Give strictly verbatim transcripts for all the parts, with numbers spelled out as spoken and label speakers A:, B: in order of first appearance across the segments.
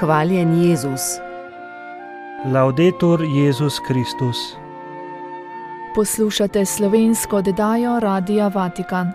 A: Hvaljen Jezus.
B: Laudetur Jezus Kristus.
C: Poslušate slovensko oddajo Radia Vatikan.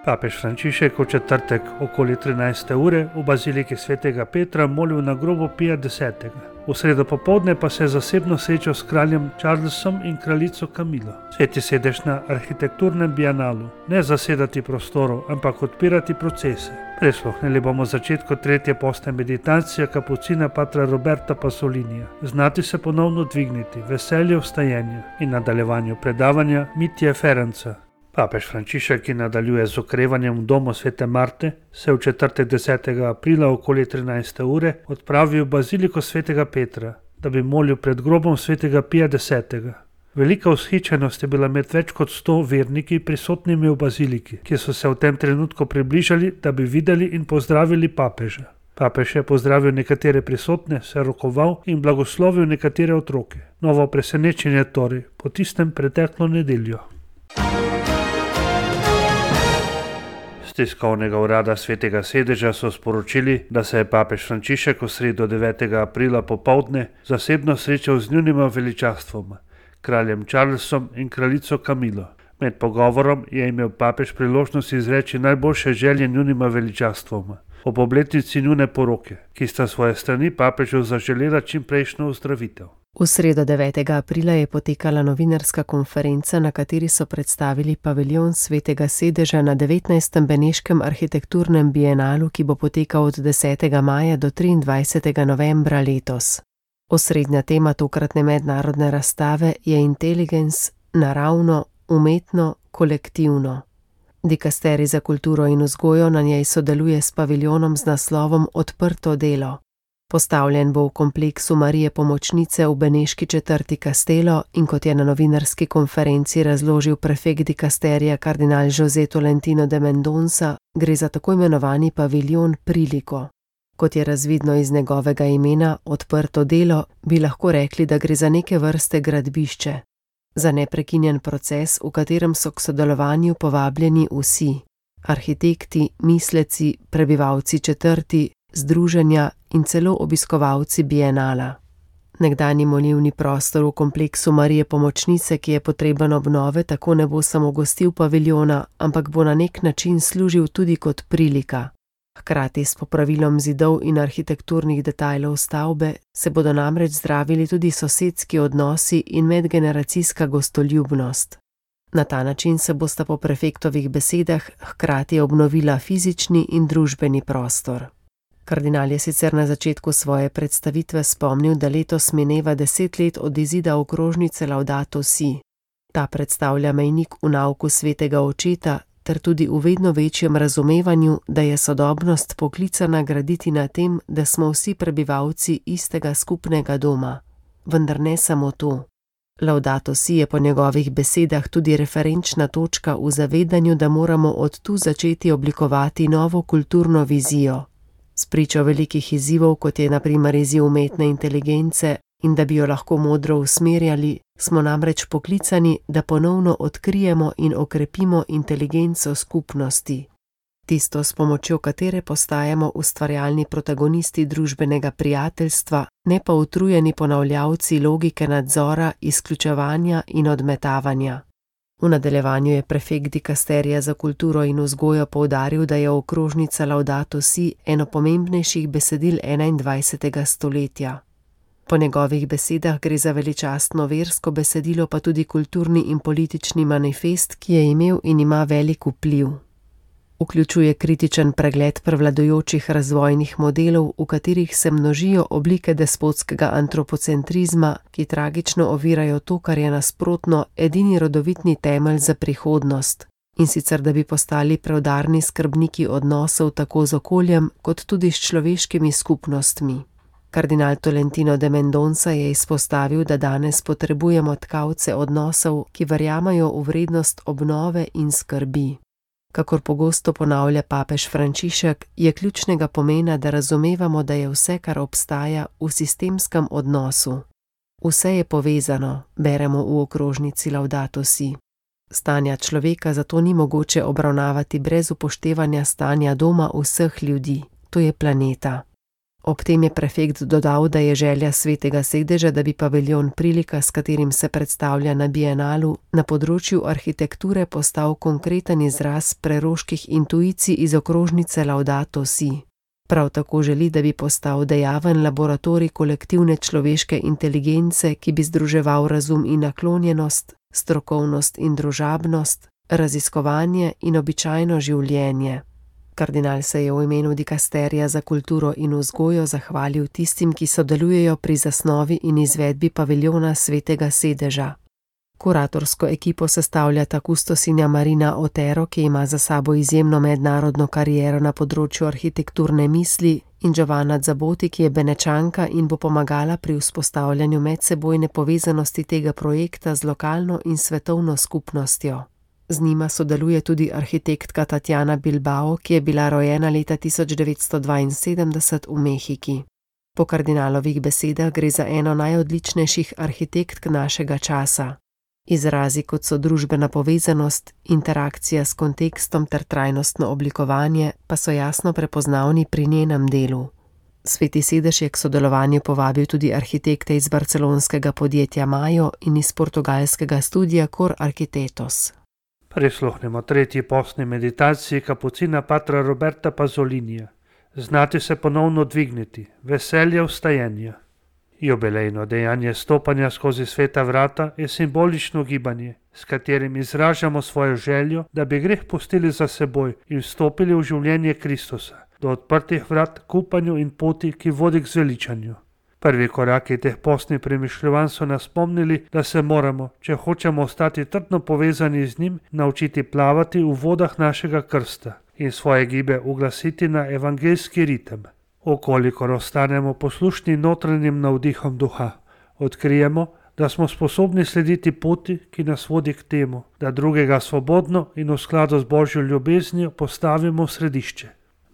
B: Papež Frančišek v četrtek okoli trinajste ure v baziliki svetega Petra molil na grobu Pija desetega. V sredo popoldne pa se je zasebno srečal s kraljem Charlesom in kraljico Kamilo. Sveti sedež na arhitekturnem bienalu, ne zasedati prostorov, ampak odpirati procese. Prisluhnili bomo začetku tretje postne meditacije kapucina patra Roberta Pasolinija. Znati se ponovno dvigniti, veselje vstajenja in nadaljevanju predavanja Mitje Ferenca. Papež Frančišek, ki nadaljuje z okrevanjem v domu svete Marte, se v četrtek desetega aprila okoli trinajste ure odpravi v baziliko svetega Petra, da bi molil pred grobom svetega Pija desetega. Velika vzhičenost je bila med več kot sto verniki prisotnimi v baziliki, ki so se v tem trenutku približali, da bi videli in pozdravili papeža. Papež je pozdravil nekatere prisotne, se rokoval in blagoslovil nekatere otroke. Novo presenečenje torej po tistem preteklo nedeljo. Z tiskovnega urada svetega sedeža so sporočili, da se je papež Frančišek v sredo devetega aprila popoldne zasebno srečal z njunima veličastvoma, kraljem Charlesom in kraljico Kamilo. Med pogovorom je imel papež priložnost izreči najboljše želje njunima veličastvoma ob obletnici njune poroke, ki sta svoje strani papežu zaželela čimprejšnjo ozdravitev.
A: V sredo devetega aprila je potekala novinarska konferenca, na kateri so predstavili paviljon svetega sedeža na devetnajstem beneškem arhitekturnem bienalu, ki bo potekal od desetega maja do triindvajsetega novembra letos. Osrednja tema tokratne mednarodne razstave je Intelligence, naravno, umetno, kolektivno. Dikasterij za kulturo in vzgojo na njej sodeluje s paviljonom z naslovom Odprto delo. Postavljen bo v kompleksu Marije Pomočnice v beneški četrti Castello in kot je na novinarski konferenci razložil prefekt dikasterija kardinal José Tolentino de Mendonça, gre za tako imenovani paviljon Priliko. Kot je razvidno iz njegovega imena, Odprto delo, bi lahko rekli, da gre za neke vrste gradbišče. Za neprekinjen proces, v katerem so k sodelovanju povabljeni vsi, arhitekti, misleci, prebivalci četrti, združenja in celo obiskovalci bienala. Nekdanji molilni prostor v kompleksu Marije Pomočnice, ki je potreben obnove, tako ne bo samo gostil paviljona, ampak bo na nek način služil tudi kot prilika. Hkrati s popravilom zidov in arhitekturnih detajlov stavbe se bodo namreč zdravili tudi sosedski odnosi in medgeneracijska gostoljubnost. Na ta način se bosta po prefektovih besedah hkrati obnovila fizični in družbeni prostor. Kardinal je sicer na začetku svoje predstavitve spomnil, da letos mineva deset let od izida okrožnice Laudato Si. Ta predstavlja mejnik v nauku svetega očeta ter tudi v vedno večjem razumevanju, da je sodobnost poklicana graditi na tem, da smo vsi prebivalci istega skupnega doma. Vendar ne samo to. Laudato Si je po njegovih besedah tudi referenčna točka v zavedanju, da moramo od tu začeti oblikovati novo kulturno vizijo. Spričo velikih izzivov, kot je na primer izziv umetne inteligence, in da bi jo lahko modro usmerjali, smo namreč poklicani, da ponovno odkrijemo in okrepimo inteligenco skupnosti. Tisto, s pomočjo katere postajamo ustvarjalni protagonisti družbenega prijateljstva, ne pa utrujeni ponavljavci logike nadzora, izključevanja in odmetavanja. V nadaljevanju je prefekt dikasterija za kulturo in vzgojo poudaril, da je okrožnica Laudato Si eno pomembnejših besedil enaindvajsetega stoletja. Po njegovih besedah gre za veličastno versko besedilo, pa tudi kulturni in politični manifest, ki je imel in ima velik vpliv. Vključuje kritičen pregled prevladujočih razvojnih modelov, v katerih se množijo oblike despotskega antropocentrizma, ki tragično ovirajo to, kar je nasprotno edini rodovitni temelj za prihodnost, in sicer da bi postali preudarni skrbniki odnosov tako z okoljem, kot tudi s človeškimi skupnostmi. Kardinal Tolentino de Mendonça je izpostavil, da danes potrebujemo tkalce odnosov, ki verjamajo v vrednost obnove in skrbi. Kakor pogosto ponavlja papež Frančišek, je ključnega pomena, da razumevamo, da je vse, kar obstaja, v sistemskem odnosu. Vse je povezano, beremo v okrožnici Laudato Si. Stanja človeka zato ni mogoče obravnavati brez upoštevanja stanja doma vseh ljudi, to je planeta. Ob tem je prefekt dodal, da je želja Svetega sedeža, da bi paviljon prilika, s katerim se predstavlja na bienalu, na področju arhitekture postal konkreten izraz preroških intuicij iz okrožnice Laudato si. Prav tako želi, da bi postal dejaven laboratorij kolektivne človeške inteligence, ki bi združeval razum in naklonjenost, strokovnost in družabnost, raziskovanje in običajno življenje. Kardinal se je v imenu dikasterija za kulturo in vzgojo zahvalil tistim, ki sodelujejo pri zasnovi in izvedbi paviljona Svetega sedeža. Kuratorsko ekipo sestavljata kustosinja Marina Otero, ki ima za sabo izjemno mednarodno kariero na področju arhitekturne misli, in Giovanna Zaboti, ki je Benečanka in bo pomagala pri vzpostavljanju medsebojne povezanosti tega projekta z lokalno in svetovno skupnostjo. Z njima sodeluje tudi arhitektka Tatjana Bilbao, ki je bila rojena leta tisoč devetsto dvainsedemdeset v Mehiki. Po kardinalovih besedah gre za eno najodličnejših arhitektk našega časa. Izrazi, kot so družbena povezanost, interakcija s kontekstom ter trajnostno oblikovanje, pa so jasno prepoznavni pri njenem delu. Sveti sedež je k sodelovanju povabil tudi arhitekte iz barcelonskega podjetja Majo in iz portugalskega studija Cor Arquitetos.
B: Prisluhnemo tretji postni meditaciji kapucina patra Roberta Pazolinija. Znati se ponovno dvigniti, veselje vstajenja. Jubilejno dejanje stopanja skozi sveta vrata je simbolično gibanje, s katerim izražamo svojo željo, da bi greh pustili za seboj in vstopili v življenje Kristusa, do odprtih vrat k upanju in poti, ki vodi k zveličanju. Prvi koraki teh postnih premišljevanj so nas spomnili, da se moramo, če hočemo ostati trdno povezani z njim, naučiti plavati v vodah našega krsta in svoje gibe uglasiti na evangeljski ritem. Okolikor ostanemo poslušni notranjim navdihom duha, odkrijemo, da smo sposobni slediti poti, ki nas vodi k temu, da drugega svobodno in v skladu z Božjo ljubeznijo postavimo v središče.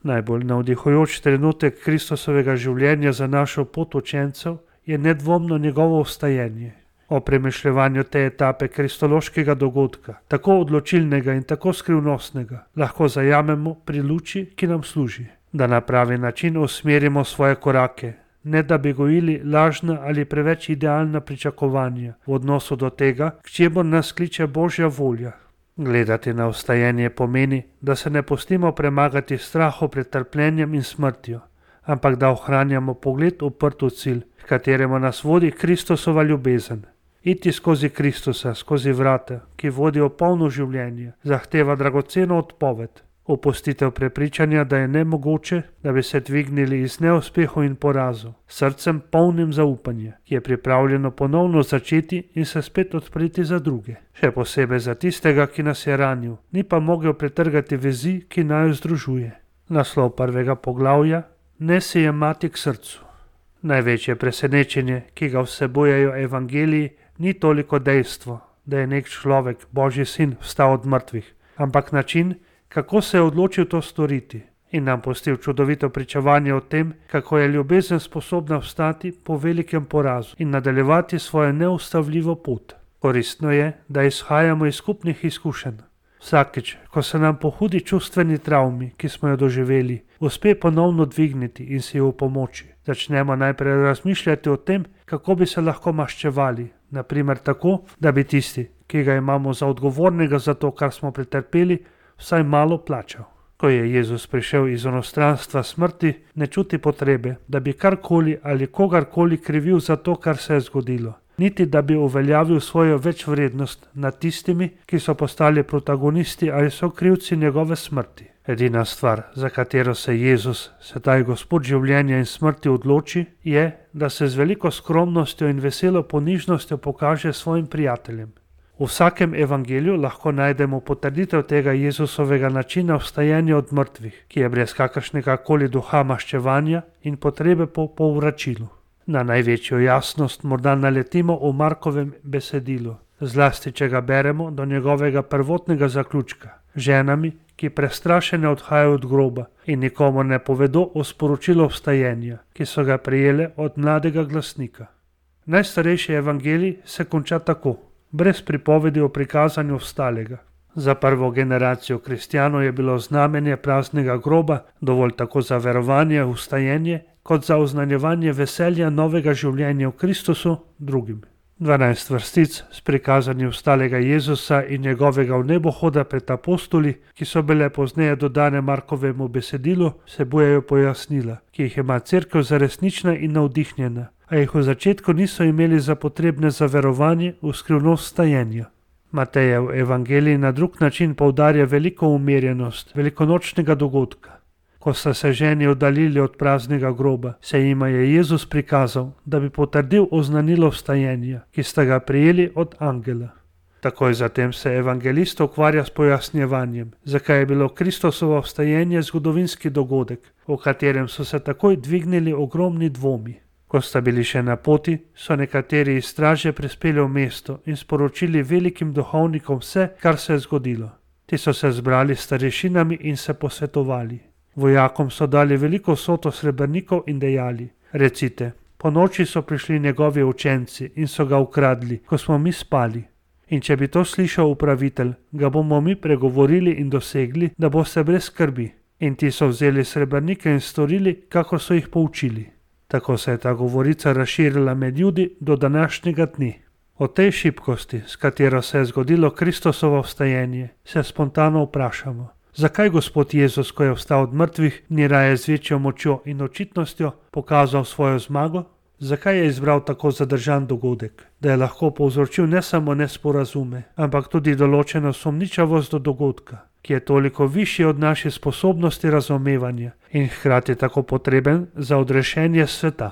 B: Najbolj navdihujoč trenutek Kristusovega življenja za našo pot učencev je nedvomno njegovo vstajenje. O premišljevanju te etape kristološkega dogodka, tako odločilnega in tako skrivnostnega, lahko zajamemo pri luči, ki nam služi. Da na pravi način usmerimo svoje korake, ne da bi gojili lažna ali preveč idealna pričakovanja v odnosu do tega, k čemur nas kliče Božja volja. Gledati na vstajenje pomeni, da se ne pustimo premagati strahu pred trpljenjem in smrtjo, ampak da ohranjamo pogled uprt v cilj, k kateremu nas vodi Kristusova ljubezen. Iti skozi Kristusa, skozi vrata, ki vodijo polno življenje, zahteva dragoceno odpoved. Opustitev prepričanja, da je nemogoče, da bi se dvignili iz neuspehov in porazov, srcem polnim zaupanja, ki je pripravljeno ponovno začeti in se spet odpreti za druge. Še posebej za tistega, ki nas je ranil, ni pa mogel pretrgati vezi, ki naju združuje. Naslov prvega poglavja: Ne se jemati k srcu. Največje presenečenje, ki ga vsebujejo evangeliji, ni toliko dejstvo, da je nek človek, Božji sin, vstal od mrtvih, ampak način, kako se je odločil to storiti in nam pustil čudovito pričevanje o tem, kako je ljubezen sposobna vstati po velikem porazu in nadaljevati svojo neustavljivo pot. Koristno je, da izhajamo iz skupnih izkušenj. Vsakič, ko se nam po hudi čustveni travmi, ki smo jo doživeli, uspe ponovno dvigniti in si jo pomoči, začnemo najprej razmišljati o tem, kako bi se lahko maščevali, naprimer tako, da bi tisti, ki ga imamo za odgovornega za to, kar smo pretrpeli, vsaj malo plačal. Ko je Jezus prišel iz onostranstva smrti, ne čuti potrebe, da bi karkoli ali kogarkoli krivil za to, kar se je zgodilo, niti da bi uveljavil svojo večvrednost nad tistimi, ki so postali protagonisti ali so krivci njegove smrti. Edina stvar, za katero se Jezus, sedaj Gospod življenja in smrti, odloči, je, da se z veliko skromnostjo in veselo ponižnostjo pokaže svojim prijateljem. V vsakem evangeliju lahko najdemo potrditev tega Jezusovega načina vstajanja od mrtvih, ki je brez kakršnega koli duha maščevanja in potrebe po povračilu. Na največjo jasnost morda naletimo v Markovem besedilu, zlasti če ga beremo do njegovega prvotnega zaključka, ženami, ki prestrašene odhajajo od groba in nikomu ne povedo o sporočilu vstajenja, ki so ga prejele od mladega glasnika. Najstarejši evangelij se konča tako, brez pripovedi o prikazanju vstalega. Za prvo generacijo kristjanov je bilo znamenje praznega groba dovolj tako za verovanje v vstajenje, kot za oznanjevanje veselja novega življenja v Kristusu drugim. Dvanajst vrstic s prikazanjem ostalega Jezusa in njegovega v nebohoda pred apostoli, ki so bile pozneje dodane Markovemu besedilu, vsebujejo pojasnila, ki jih ima cerkev za resnična in navdihnjena, a jih v začetku niso imeli za potrebne za verovanje v skrivnost stajenja. Matejev evangelij na drug način poudarja veliko umirjenost velikonočnega dogodka. Ko sta se ženi oddaljili od praznega groba, se jima je Jezus prikazal, da bi potrdil oznanilo vstajenja, ki sta ga prijeli od angela. Takoj zatem se evangelist ukvarja s pojasnjevanjem, zakaj je bilo Kristusovo vstajenje zgodovinski dogodek, o katerem so se takoj dvignili ogromni dvomi. Ko sta bili še na poti, so nekateri iz straže prispeli v mesto in sporočili velikim duhovnikom vse, kar se je zgodilo. Ti so se zbrali s starešinami in se posvetovali. Vojakom so dali veliko vsoto srebrnikov in dejali: recite, po noči so prišli njegovi učenci in so ga ukradli, ko smo mi spali. In če bi to slišal upravitelj, ga bomo mi pregovorili in dosegli, da boste brez skrbi. In ti so vzeli srebrnike in storili, kako so jih poučili. Tako se je ta govorica razširila med Judi do današnjega dne. O tej šibkosti, s katero se je zgodilo Kristusovo vstajenje, se spontano vprašamo. Zakaj Gospod Jezus, ko je vstal od mrtvih, ni raje z večjo močjo in očitnostjo pokazal svojo zmago? Zakaj je izbral tako zadržan dogodek, da je lahko povzročil ne samo nesporazume, ampak tudi določeno sumničavost do dogodka, ki je toliko višji od naše sposobnosti razumevanja in hkrati tako potreben za odrešenje sveta?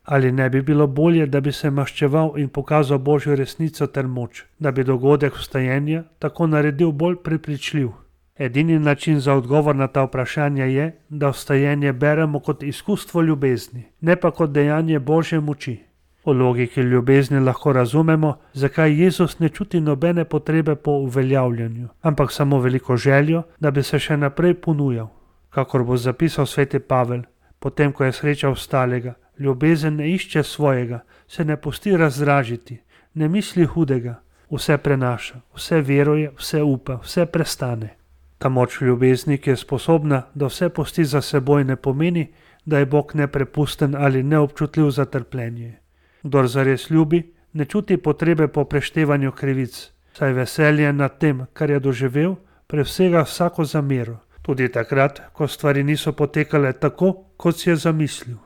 B: Ali ne bi bilo bolje, da bi se maščeval in pokazal Božjo resnico ter moč, da bi dogodek vstajenja tako naredil bolj prepričljiv? Edini način za odgovor na ta vprašanja je, da vstajenje beremo kot izkustvo ljubezni, ne pa kot dejanje Božje moči. V logiki ljubezni lahko razumemo, zakaj Jezus ne čuti nobene potrebe po uveljavljanju, ampak samo veliko željo, da bi se še naprej ponujal. Kakor bo zapisal sveti Pavel, potem ko je srečal ostalega, ljubezen ne išče svojega, se ne pusti razdražiti, ne misli hudega, vse prenaša, vse veruje, vse upa, vse prestane. Ta moč ljubezni, ki je sposobna, da vse pusti za seboj, ne pomeni, da je Bog neprepusten ali neobčutljiv za trpljenje. Kdor zares ljubi, ne čuti potrebe po preštevanju krivic, saj veselje nad tem, kar je doživel, presega vsako zamero, tudi takrat, ko stvari niso potekale tako, kot si je zamislil.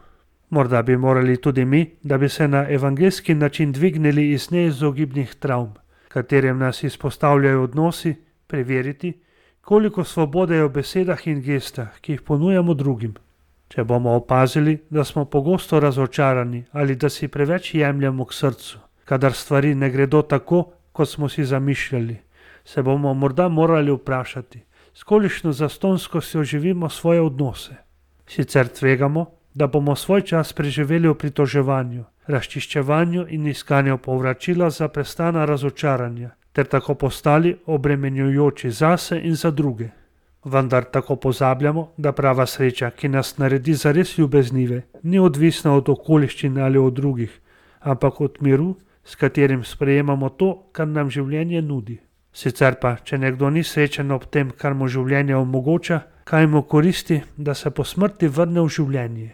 B: Morda bi morali tudi mi, da bi se na evangelski način dvignili iz neizogibnih travm, katerim nas izpostavljajo odnosi, preveriti, koliko svobode je v besedah in gestah, ki jih ponujamo drugim. Če bomo opazili, da smo pogosto razočarani ali da si preveč jemljemo k srcu, kadar stvari ne gredo tako, kot smo si zamišljali, se bomo morda morali vprašati, s kolikšno zastonskostjo živimo svoje odnose. Sicer tvegamo, da bomo svoj čas preživeli v pritoževanju, razčiščevanju in iskanju povračila za prestana razočaranja, ter tako postali obremenjujoči zase in za druge. Vendar tako pozabljamo, da prava sreča, ki nas naredi zares ljubeznive, ni odvisna od okoliščin ali od drugih, ampak od miru, s katerim sprejemamo to, kar nam življenje nudi. Sicer pa, če nekdo ni srečen ob tem, kar mu življenje omogoča, kaj mu koristi, da se po smrti vrne v življenje.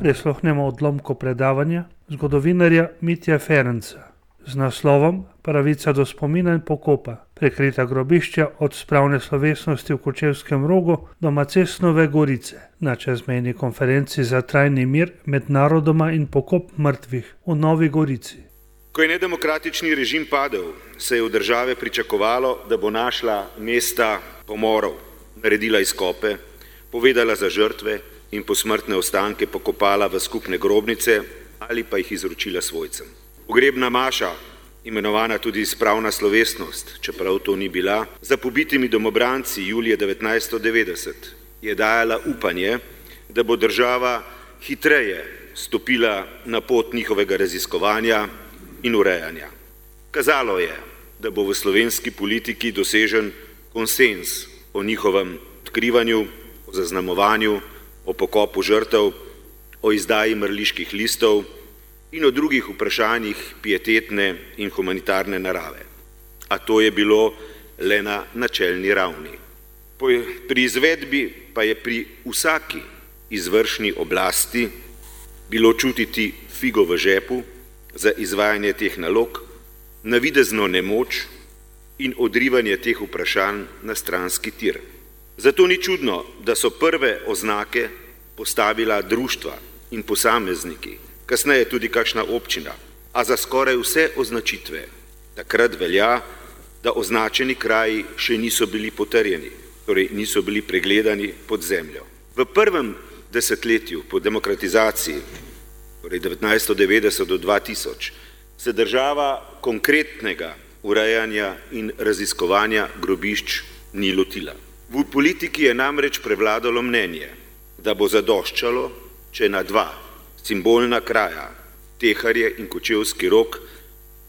B: Prisluhnemo odlomku predavanja zgodovinarja Mitje Ferenca z naslovom Pravica do spomina in pokopa, prekrita grobišča od spravne slovesnosti v Kočevskem Rogu do Macesnove Gorice na čezmejni konferenci za trajni mir med narodoma in pokop mrtvih v Novi Gorici.
D: Ko je nedemokratični režim padel, se je v države pričakovalo, da bo našla mesta pomorov, naredila izkope, povedala za žrtve in posmrtne ostanke pokopala v skupne grobnice ali pa jih izročila svojcem. Pogrebna maša, imenovana tudi spravna slovesnost, čeprav to ni bila, za pobitimi domobranci julija devetnajststo devetdeset je dajala upanje, da bo država hitreje stopila na pot njihovega raziskovanja in urejanja. Kazalo je, da bo v slovenski politiki dosežen konsenz o njihovem odkrivanju, o zaznamovanju, o pokopu žrtev, o izdaji mrliških listov in o drugih vprašanjih pietetne in humanitarne narave. A to je bilo le na načelni ravni. Pri izvedbi pa je pri vsaki izvršni oblasti bilo čutiti figo v žepu za izvajanje teh nalog, navidezno nemoč in odrivanje teh vprašanj na stranski tir. Zato ni čudno, da so prve oznake postavila društva in posamezniki, kasneje tudi kakšna občina, a za skoraj vse označitve takrat velja, da označeni kraji še niso bili potrjeni, torej niso bili pregledani pod zemljo. V prvem desetletju po demokratizaciji, torej devetnajststo devetdeset do dva tisoč, se država konkretnega urejanja in raziskovanja grobišč ni lotila. V politiki je namreč prevladalo mnenje, da bo zadoščalo, če na dva simbolna kraja, Teharje in Kočevski Rog,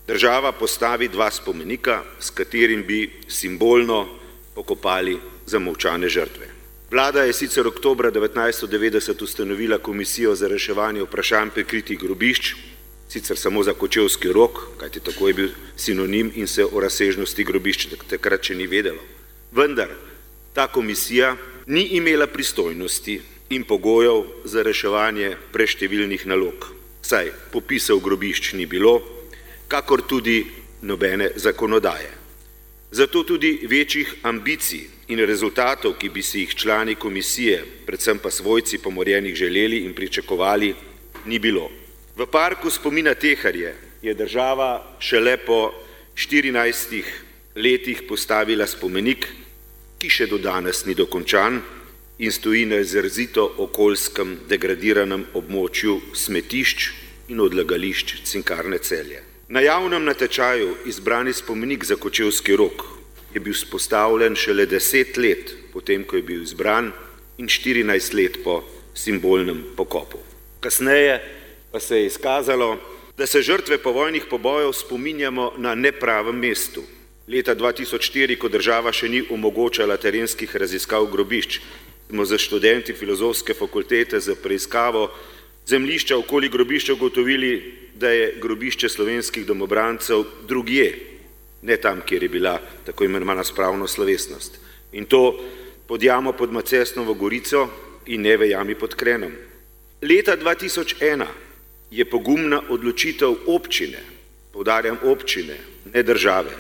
D: država postavi dva spomenika, s katerim bi simbolno pokopali zamolčane žrtve. Vlada je sicer oktobra devetnajststo devetdeset ustanovila komisijo za reševanje vprašanj prikritih grobišč, sicer samo za Kočevski Rog, kajti tako je bil sinonim in se o razsežnosti grobišč takrat še ni vedelo. Vendar ta komisija ni imela pristojnosti in pogojev za reševanje preštevilnih nalog, saj popisov grobišč ni bilo, kakor tudi nobene zakonodaje. Zato tudi večjih ambicij in rezultatov, ki bi si jih člani komisije, predvsem pa svojci pomorjenih želeli in pričakovali, ni bilo. V parku spomina Teharje je država šele po štirinajstih letih postavila spomenik, ki še do danes ni dokončan in stoji na izrazito okoljskem degradiranem območju smetišč in odlagališč Cinkarne Celje. Na javnem natečaju izbrani spomenik za Kočevski Rog je bil vzpostavljen šele deset let potem, ko je bil izbran, in štirinajst let po simbolnem pokopu. Kasneje pa se je izkazalo, da se žrtve povojnih pobojev spominjamo na nepravem mestu. Leta dva tisoč štiri, ko država še ni omogočala terenskih raziskav grobišč, smo za študenti Filozofske fakultete za preiskavo zemljišča okoli grobišča ugotovili, da je grobišče slovenskih domobrancev drugje, ne tam, kjer je bila tako imenovana spravna slovesnost. In to pod jamo pod Macesnovo Gorico in ne v jami pod Krenom. Leta dva tisoč ena je pogumna odločitev občine, poudarjam občine, ne države,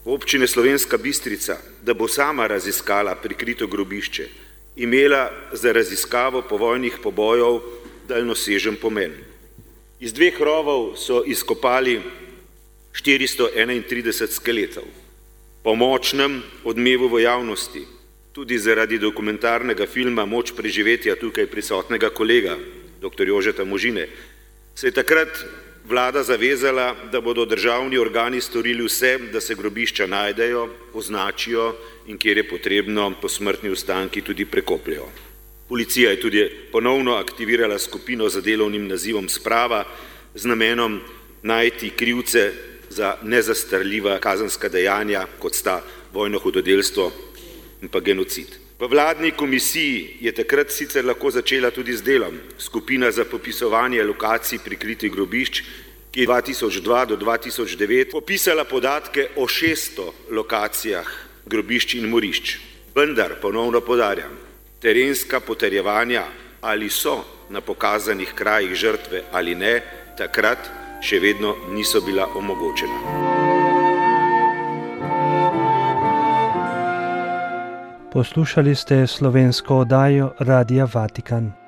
D: občine Slovenska Bistrica, da bo sama raziskala prikrito grobišče, imela za raziskavo povojnih pobojev daljnosežen pomen. Iz dveh rovov so izkopali štiristo enaintrideset skeletov. Po močnem odmevu v javnosti, tudi zaradi dokumentarnega filma Moč preživetja tukaj prisotnega kolega, doktor Jožeta Možine, se je takrat vlada zavezala, da bodo državni organi storili vse, da se grobišča najdejo, označijo in kjer je potrebno, posmrtni ostanki tudi prekopljajo. Policija je tudi ponovno aktivirala skupino za delovnim nazivom Sprava z namenom najti krivce za nezastarljiva kazenska dejanja, kot sta vojno hudodelstvo in pa genocid. V vladni komisiji je takrat sicer lahko začela tudi z delom skupina za popisovanje lokacij prikritih grobišč, ki je dva tisoč dva do dva tisoč devet popisala podatke o šeststo lokacijah grobišč in morišč. Vendar, ponovno poudarjam, terenska potrjevanja, ali so na pokazanih krajih žrtve ali ne, takrat še vedno niso bila omogočena.
B: Poslušali ste slovensko oddajo Radia Vatikan.